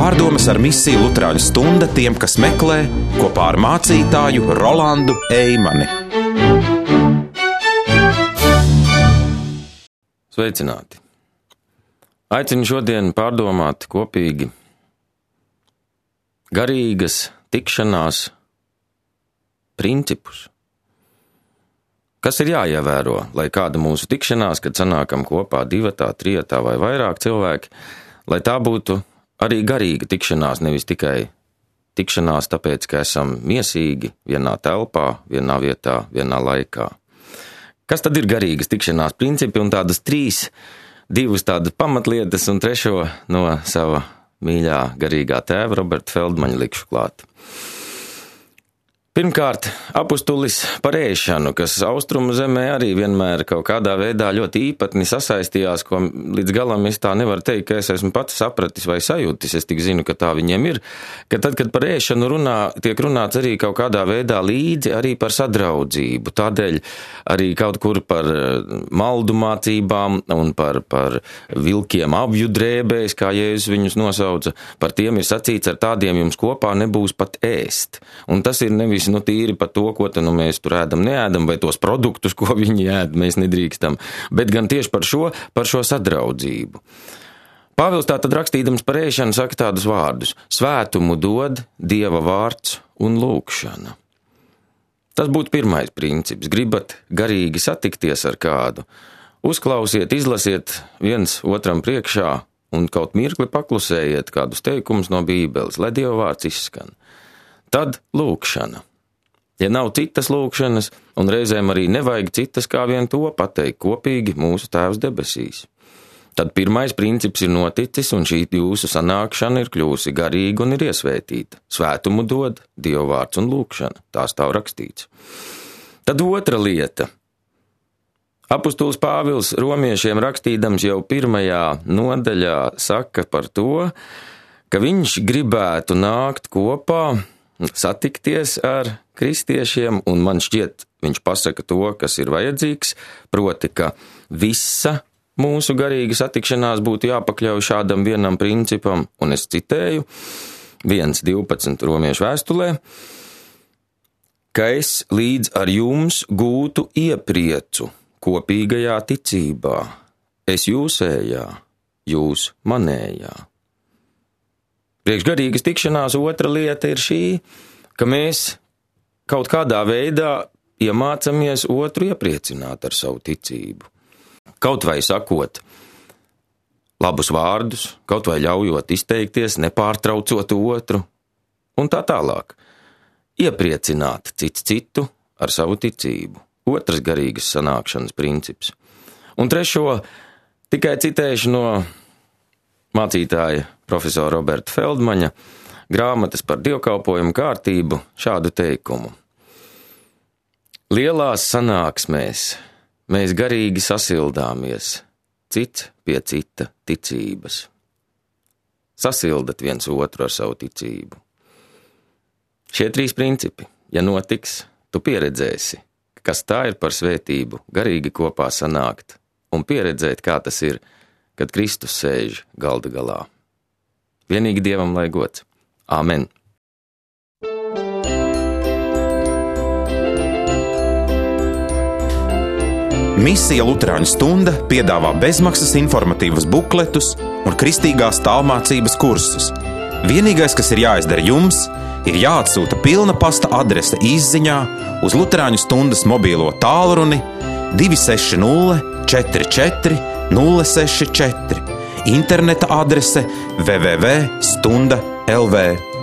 Pārdomas ar misiju Luterāņu stunda tiem, kas meklē, kopā ar mācītāju Rolandu Eimani. Sveicināti! Aicinu šodien pārdomāt kopīgi garīgas tikšanās principus. Kas ir jāievēro, lai kāda mūsu tikšanās, kad sanākam kopā divatā, trijatā vai vairāk cilvēki, lai tā būtu arī garīga tikšanās, nevis tikai tikšanās tāpēc, ka esam miesīgi vienā telpā, vienā vietā, vienā laikā. Kas tad ir garīgas tikšanās principi un tādas divas tādas pamatlietas un trešo no sava mīļā garīgā tēva Roberta Feldmaņa likšu klāt. Pirmkārt, apustulis par ēšanu, kas austrumu zemē arī vienmēr kaut kādā veidā ļoti īpatni sasaistījās, ko līdz galam es tā nevaru teikt, ka es esmu pats sapratis vai sajūtis, es tik zinu, ka tā viņiem ir, ka tad, kad par ēšanu tiek runāts arī kaut kādā veidā līdzi arī par sadraudzību, tādēļ arī kaut kur par maldu mācībām un par vilkiem avju drēbēs, kā Jēzus viņus nosauca, par tiem ir sacīts, ar tādiem jums kopā nebūs pat ēst. Un tas ir nevis tīri par to, ko mēs tur ēdam, neēdam, vai tos produktus, ko viņi ēd, mēs nedrīkstam, bet gan tieši par šo sadraudzību. Pāvils tātad rakstīdams par ēšanu saka tādus vārdus: svētumu dod Dieva vārds un lūgšana. Tas būtu pirmais princips. Gribat garīgi satikties ar kādu, uzklausiet, izlasiet viens otram priekšā un kaut mirkli paklusējiet kādus teikumus no Bībeles, lai Dieva vārds izskan. Tad lūgšana. Ja nav citas lūgšanas, un reizēm arī nevajag citas, kā vien to pateikt kopīgi mūsu Tēvs debesīs. Tad pirmais princips ir noticis, un šī jūsu sanākšana ir kļūsi garīga un ir iesvētīta. Svētumu dod Dieva vārds un lūgšana. Tā stāv rakstīts. Tad otra lieta. Apustulis Pāvils romiešiem rakstīdams jau 1. nodaļā saka par to, ka viņš gribētu nākt kopā, satikties ar kristiešiem, un man šķiet, viņš pasaka to, kas ir vajadzīgs, proti, ka visa mūsu garīga satikšanās būtu jāpakļauj šādam vienam principam, un es citēju 1.12 romiešu vēstulē, ka es līdz ar jums gūtu iepriecu kopīgajā ticībā, es jūsējā, jūs manējā. Priekš garīgas tikšanās otra lieta ir šī, ka mēs kaut kādā veidā iemācamies otru iepriecināt ar savu ticību. Kaut vai sakot labus vārdus, kaut vai ļaujot izteikties, nepārtraucot otru, un tā tālāk. Iepriecināt cits citu ar savu ticību. Otrs garīgas sanākšanas princips. Un trešo tikai citēšu no mācītāja profesora Roberta Feldmaņa grāmatas par dievkalpojumu kārtību šādu teikumu. Lielās sanāksmēs mēs garīgi sasildāmies, cits pie cita ticības. Sasildat viens otru ar savu ticību. Šie 3 principi, ja notiks, tu pieredzēsi, kas tā ir par svētību, garīgi kopā sanākt un pieredzēt, kā tas ir, kad Kristus sēž galda galā. Vienīgi Dievam lai gods. Āmen. Misija Luterāņu stunda piedāvā bezmaksas informatīvas bukletus un kristīgās tālmācības kursus. Vienīgais, kas ir jāizdara jums, ir jāatsūta pilna pasta adrese izziņā uz Luterāņu stundas mobīlo tālruni 260 44 064, interneta adrese www.stunda.lv.